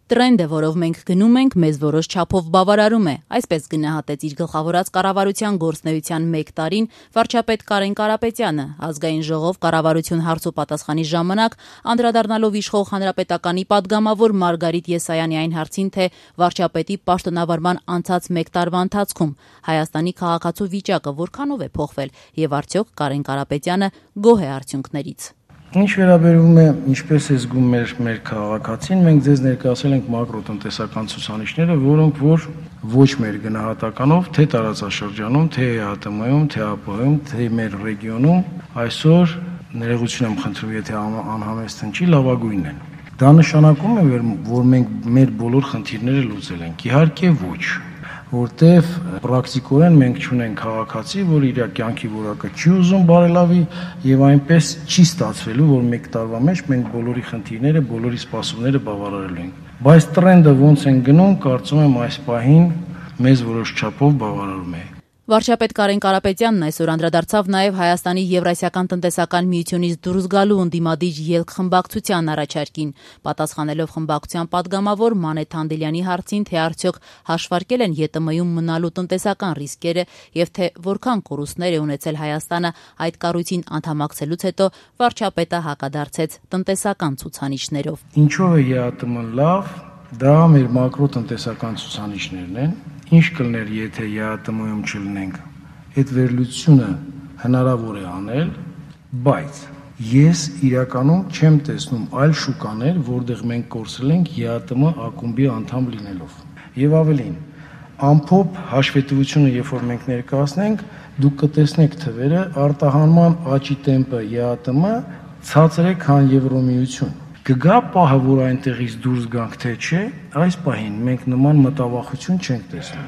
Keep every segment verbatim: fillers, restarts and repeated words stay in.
Տրենդը, որով մենք գնում ենք, մեզ որոշ չափով բավարարում է, այսպես գնահատեց իր գլխավորած կառավարության գործունեության մեկ տարին վարչապետ Կարեն Կարապետյանը, ազգային ժողով կառավարություն հարց ու պատասխանի ժամանակ անդրադառնալով իշխող հանրապետականի падգամավոր Մարգարիտ Եսայանի այն հարցին, թե վարչապետի պաշտոնավարման անցած մեկ տարվա ընթացքում Հայաստանի քաղաքացու վիճակը որքանով է փոխվել եւ արդյոք Կարեն Կարապետյանը գոհ է արդյունքներից։ Ինչ վերաբերում է ինչպես է զգում մեր մեր քաղաքացին, մենք ձեզ ներկայացել ենք մակրոտնտեսական ցուցանիշները, որոնք որ ոչ մեր գնահատականով, թե տարածաշրջանում, թե ՀԱՏՄ-ում, թե ԱՊՀ-ում, թե մեր ռեգիոնում այսօր ներողություն եմ խնդրում, եթե անհամեստ հնչի, լավագույնն են։ Դա նշանակում է, որ մենք մեր բոլոր խնդիրները լուծել ենք։ Իհարկե ոչ, որտեվ պրակտիկորեն մենք չունենք քաղաքացի, որ իր կյանքի որակը չի ուզում բարելավի եւ այնպես չի ստացվելու, որ մեկ տարվա մեջ մենք բոլորի խնդիրները, բոլորի սպասումները բավարարելու ենք։ Բայց տրենդը ոնց են գնում, կարծում եմ այս պահին մեզ որոշ չափով բավարարում է։ Վարչապետ Կարեն Կարապետյանն այսօր անդրադարձավ նաև Հայաստանի Եվրասիական տնտեսական միությունից դուրս գալու ընդդիմադիր ելք խմբակցության առաջարկին, պատասխանելով խմբակցության падգամավոր Մանեթ Հանդելյանի հարցին, թե արդյոք հաշվարկել են ԵՏՄ-ում մնալու տնտեսական ռիսկերը եւ թե որքան կորուստներ է ունեցել Հայաստանը այդ կառույցին անդամակցելուց հետո, վարչապետը հակադարձեց տնտեսական ցուցանիշներով։ Ինչով է ԵԱՏՄ-ն լավ, դա մեր մակրոտնտեսական ցուցանիշներն են։ Ինչ կլներ, եթե ԵԱՏՄ-ում չլինենք, այդ վերլուծությունը հնարավոր է անել, բայց ես իրականում չեմ տեսնում այլ շուկաներ, որտեղ մենք կորցրել ենք ԵԱՏՄ ակումբի անդամ լինելով։ Եվ ավելին, ամփոփ հաշվետվությունը, երբ որ մենք ներկայացնենք, դուք կտեսնեք թվերը, արտահանման աճի տեմպը ԵԱՏՄ ցածր է, քան Եվրոմիություն։ Կգա պահը, որ այնտեղից դուրս գանք, թե չէ, այս պահին մենք նման մտավախություն չենք տեսնում։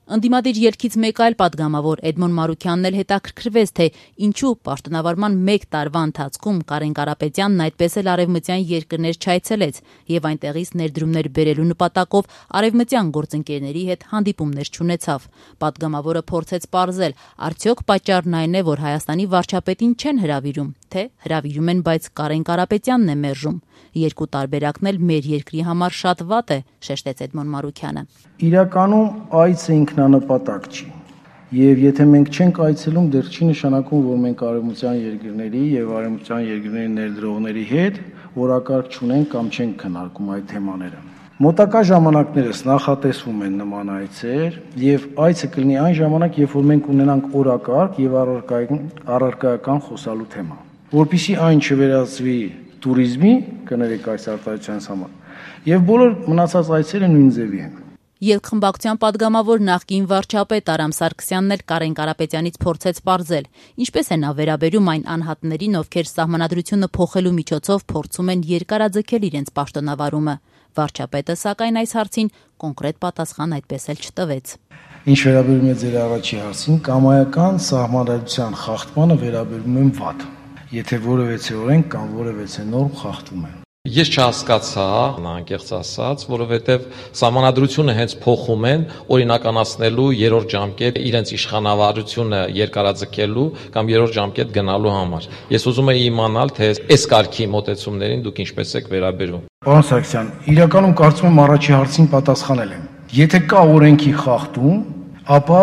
Ընդդիմադիր ելքից մեկ այլ падգամավոր Էդմոն Մարուքյանն էլ հետաքրքրվեց, թե ինչու պաշտոնավարման մեկ տարվա ընթացքում Կարեն Կարապետյանն այդպես էլ արևմտյան երկրներ չայցելեց եւ այնտեղից ներդրումներ բերելու նպատակով արևմտյան գործընկերների հետ հանդիպումներ չունեցավ։ Падգամավորը փորձեց պարզել, արդյոք պատճառն այն է, որ Հայաստանի վարչապետին չեն հրավիրում, թե հրավիրում են, բայց Կարեն Կարապետյանն է մերժում։ Երկու տարբերակն էլ մեր երկրի համար շատ վատ է, շեշտեց Էդմոն Մարուքյանը։ Իրականում այցը ինքնանպատակ չի։ Եվ եթե մենք չենք այցելում, դեռ չի նշանակում, որ մենք արևմտյան երկրների եւ արևմտյան երկրների ներդրողների հետ օրակարգ չունենք կամ չենք քննարկում այդ թեմաները։ Մոտակա ժամանակներս նախատեսվում են նման այցեր եւ այցը կլինի այն ժամանակ, երբ որ մենք ունենանք օրակարգ եւ առարկայական խոսալու թեմա։ Որպեսզի այն չվերածվի տուրիզմի, կներեք այս արտադրության համար, եւ բոլոր մնացած այցերը նույն ձևի են։ Ելք խմբակցության падգամավոր նախկին վարչապետ Արամ Սարգսյանն էլ Կարեն Կարապետյանից փորձեց պարզել, ինչպես է նա վերաբերում այն անհատներին, ովքեր սահմանադրությունը փոխելու միջոցով փորձում են երկարաձգել իրենց պաշտոնավարումը։ Վարչապետը, սակայն, այս հարցին կոնկրետ պատասխան այդպես էլ չտվեց։ Ինչ վերաբերում է ձեր առաջի հարցին, կամայական սահմանադրության խախտմանը վերաբերում եմ վատ, եթե որևէ օրենք կամ որևէ նորմ խախտում են։ Ես չհասկացա, անկեղծ ասած, որովհետև սահմանադրությունը հենց փոխում են օրինականացնելու երրորդ ժամկետ իրենց իշխանավարությունը երկարաձգելու կամ երրորդ ժամկետ գնալու համար։ Ես ուզում եմ իմանալ, թե այս կարգի մոտեցումներին դուք ինչպես եք վերաբերում։ Պարոն Սարգսյան, իրականում կարծում եմ առաջի հարցին պատասխանել եմ։ Եթե կա օրենքի խախտում, ապա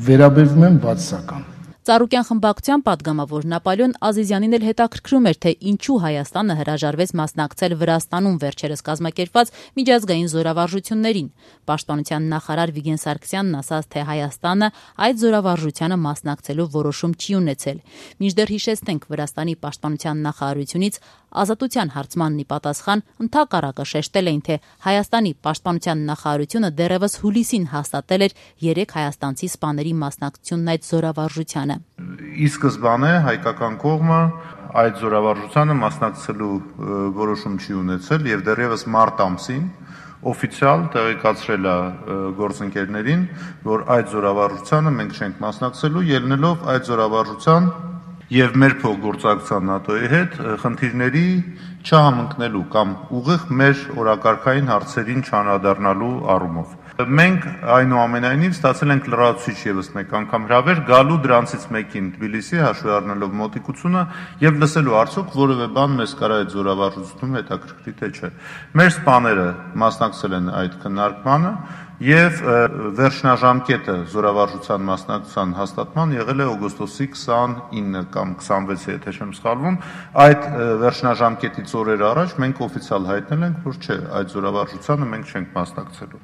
վերաբերվում եմ բացասական։ Ծառուկյան խմբակցության падգամավոր Նապոլեոն Ազիզյանին էլ հետաքրքրում էր, թե ինչու Հայաստանը հրաժարվեց մասնակցել Վրաստանում վերջերս կազմակերպված միջազգային զորավարժություններին։ Պաշտպանության նախարար Վիգեն Սարգսյանն ասաց, թե Հայաստանը այդ զորավարժությանը մասնակցելու որոշում չի ունեցել։ Մինչդեռ հիշեցնենք, Վրաստանի պաշտպանության նախարարությունից Ազատության հարցմանն ի պատասխան ընդհակառակը շեշտել էին, թե Հայաստանի պաշտպանության նախարարությունը դեռևս հուլիսին հաստատել էր երեք հայաստանցի սպաների մասնակցությունն այդ զորավարժությանը։ Ի սկզբանե հայկական կողմը այդ զորավարժությանը մասնակցելու որոշում չի ունեցել եւ դեռևս մարտ ամսին օֆիցիալ տեղեկացրել է գործընկերներին, որ այդ զորավարժությանը մենք չենք մասնակցելու, ելնելով այդ զորավարժության եւ մեր փոխգործակցության ՆԱՏՕ-ի հետ խնդիրների չհամընկնելու կամ ուղիղ մեր օրակարգային հարցերին չանդրադառնալու առումով։ Մենք այնուամենայնիվ ստացել ենք լրացուցիչ եւս մեկ անգամ հրավեր գալու դրանցից մեկին Թբիլիսի, հաշվի առնելով մոտիկությունը եւ լսելու արդյոք որևէ բան մեզ կարա այդ զորավարժությունում հետաքրքրի թե չէ։ Մեր սպաները մասնակցել են այդ քննարկմանը եւ վերջնաժամկետը զորավարժության մասնակցության հաստատման եղել է օգոստոսի քսանինը կամ քսանվեցը, եթե չեմ սխալվում։ Այդ վերջնաժամկետից օրեր առաջ մենք օֆիցիալ հայտնել ենք, որ չէ, այդ զորավարժությանը մենք չենք մասնակցելու։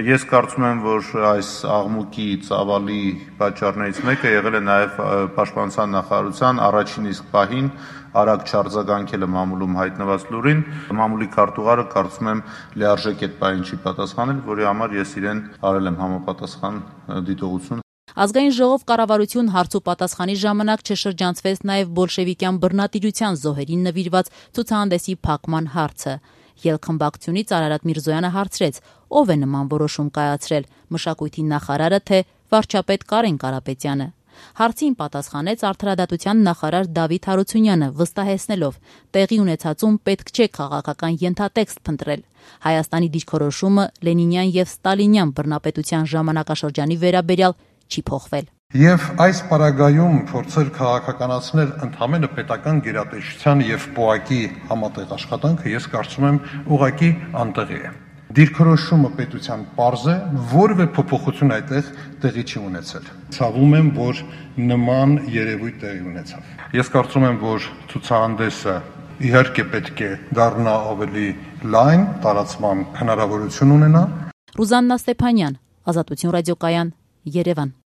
Ես կարծում եմ, որ այս աղմուկի ծավալի պատճառներից մեկը եղել է նաեւ Պաշտպանության նախարարության առաջին իսկ պահին արագ չարձագանքելը մամուլում հայտնված լուրին։ Մամուլի քարտուղարը կարծում եմ լիարժեք այդ պահին չի պատասխանել, որի համար ես իրեն արել եմ համապատասխան դիտողություն։ Ազգային ժողով կառավարություն հարց ու պատասխանի ժամանակ չշրջանցվեց նաև բոլշևիկյան բռնատիրության զոհերին նվիրված ցուցահանդեսի փակման հարցը։ Ելքխմբակցությունից Արարատ Միրզոյանը հարցրեց, ով է նման որոշում կայացրել՝ մշակույթի նախարարը թե վարչապետ Կարեն Կարապետյանը։ Հարցին պատասխանեց արդարադատության նախարար Դավիթ Հարությունյանը, վստահեցնելով, տեղի ունեցածում պետք չէ քաղաքական ենթատեքստ փնտրել։ Հայաստանի դիրքորոշումը Լենինյան եւ Ստալինյան բռնապետության ժամանակաշրջանի վերաբերյալ չի փոխվել։ Եվ այս պարագայում փորձել քաղաքականացնել ընդհանրապես պետական գերատեսչության եւ պոակի համատեղ աշխատանքը, ես կարծում եմ, ուղղակի անտեղի է։ Դիրքորոշումը պետության պարզ է, որևէ փոփոխություն այդտեղ տեղի չի ունեցել։ Ցավում եմ, որ նման երևույթ տեղի ունեցավ։ Ես կարծում եմ, որ ցուցահանդեսը իհարկե պետք է դառնա ավելի լայն, տարածման հնարավորություն ունենա։ Ռուզաննա Ստեփանյան, Ազատություն ռադիոկայան, Երևան։